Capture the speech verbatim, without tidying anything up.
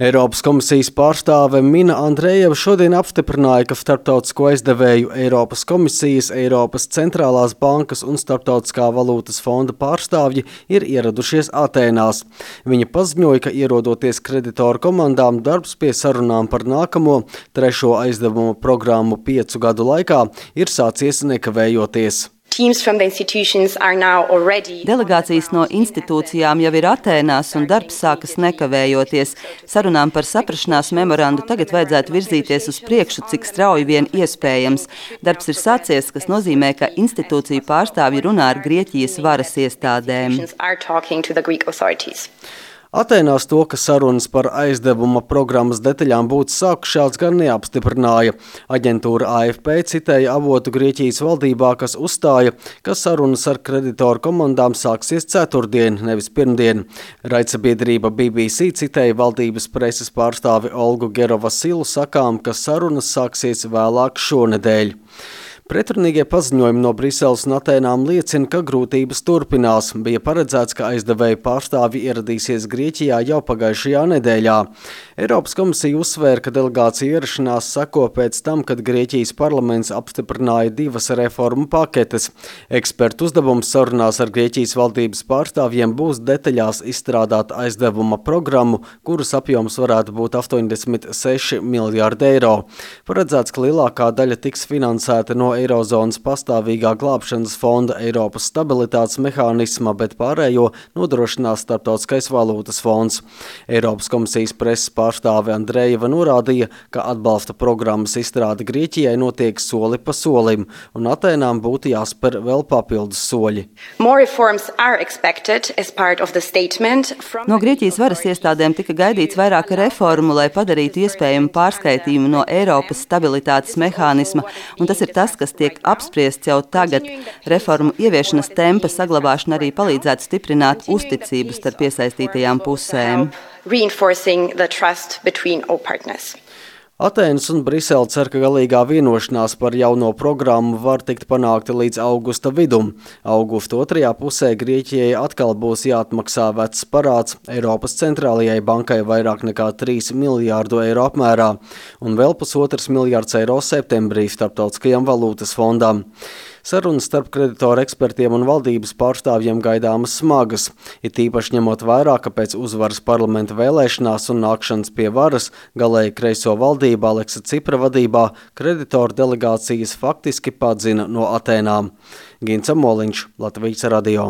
Eiropas komisijas pārstāve Mina Andrejeva šodien apstiprināja, ka starptautisko aizdevēju Eiropas komisijas, Eiropas centrālās bankas un Starptautiskā valūtas fonda pārstāvji ir ieradušies Atēnās. Viņa paziņoja, ka ierodoties kreditoru komandām, darbs pie sarunām par nākamo trešo aizdevumu programmu piecu gadu laikā ir sācies nekavējoties. Delegācijas no institūcijām jau ir Atēnās un darbs sākas nekavējoties. Sarunām par saprašanās memorandu tagad vajadzētu virzīties uz priekšu, cik strauji vien iespējams. Darbs ir sācies, kas nozīmē, ka institūciju pārstāvji runā ar Grieķijas varas iestādēm. Atēnās to, ka sarunas par aizdevuma programmas detaļām būtu sākušās, gan neapstiprināja. Aģentūra A F P citēja avotu Grieķijas valdībā, kas uzstāja, ka sarunas ar kreditoru komandām sāksies ceturtdien, nevis pirmdien. Raidsabiedrība B B C citēja valdības preses pārstāvi Olgu Gerovasilu sakām, ka sarunas sāksies vēlāk šonedēļ. Pretrunīgie paziņojumi no Briseles un Atēnām liecina, ka grūtības turpinās. Bija paredzēts, ka aizdevēju pārstāvji ieradīsies Grieķijā jau pagājušajā nedēļā. Eiropas komisija uzsvēra, ka delegācija ierašanās seko pēc tam, kad Grieķijas parlaments apstiprināja divas reformu paketes. Ekspertu uzdevums sarunās ar Grieķijas valdības pārstāvjiem būs detaļās izstrādāt aizdevuma programmu, kuras apjoms varētu būt astoņdesmit seši miljārdi eiro. Paredzēts, ka lielākā daļa tiks finansēta no Eirozonas pastāvīgā glābšanas fonda Eiropas stabilitātes mehānisma, bet pārējo nodrošinās Starptautiskais valūtas fonds. Eiropas komisijas preses pārstāve Andrejeva norādīja, ka atbalsta programmas izstrāde Grieķijai notiek soli pa solim, un Atēnām būtu jāspēr vēl papildus soļi. No Grieķijas varas iestādēm tika gaidīts vairāk reformu, lai padarītu iespējamu pārskaitījumu no Eiropas stabilitātes mehānisma, un tas ir tas, kas tiek apspriests jau tagad. Reformu ieviešanas tempa saglabāšana arī palīdzētu stiprināt uzticību starp iesaistītajām pusēm. Atēnas un Brisele cer, ka galīgā vienošanās par jauno programmu var tikt panākta līdz augusta vidum. Augusta otrajā pusē Grieķijai atkal būs jāatmaksā vecs parāds Eiropas centrālajai bankai vairāk nekā trīs miljārdu eiro apmērā un vēl pusotrs miljārds eiro septembrī Starptautiskajam valūtas fondam. Sarunas starp kreditoru ekspertiem un valdības pārstāvjiem gaidāmas smagas, it īpaši ņemot vērā, ka pēc uzvaras parlamenta vēlēšanās un nākšanas pie varas galēji kreiso valdību Aleksa Cipra vadībā kreditoru delegācijas faktiski padzina no Atēnām. Gints Amoliņš, Latvijas radio.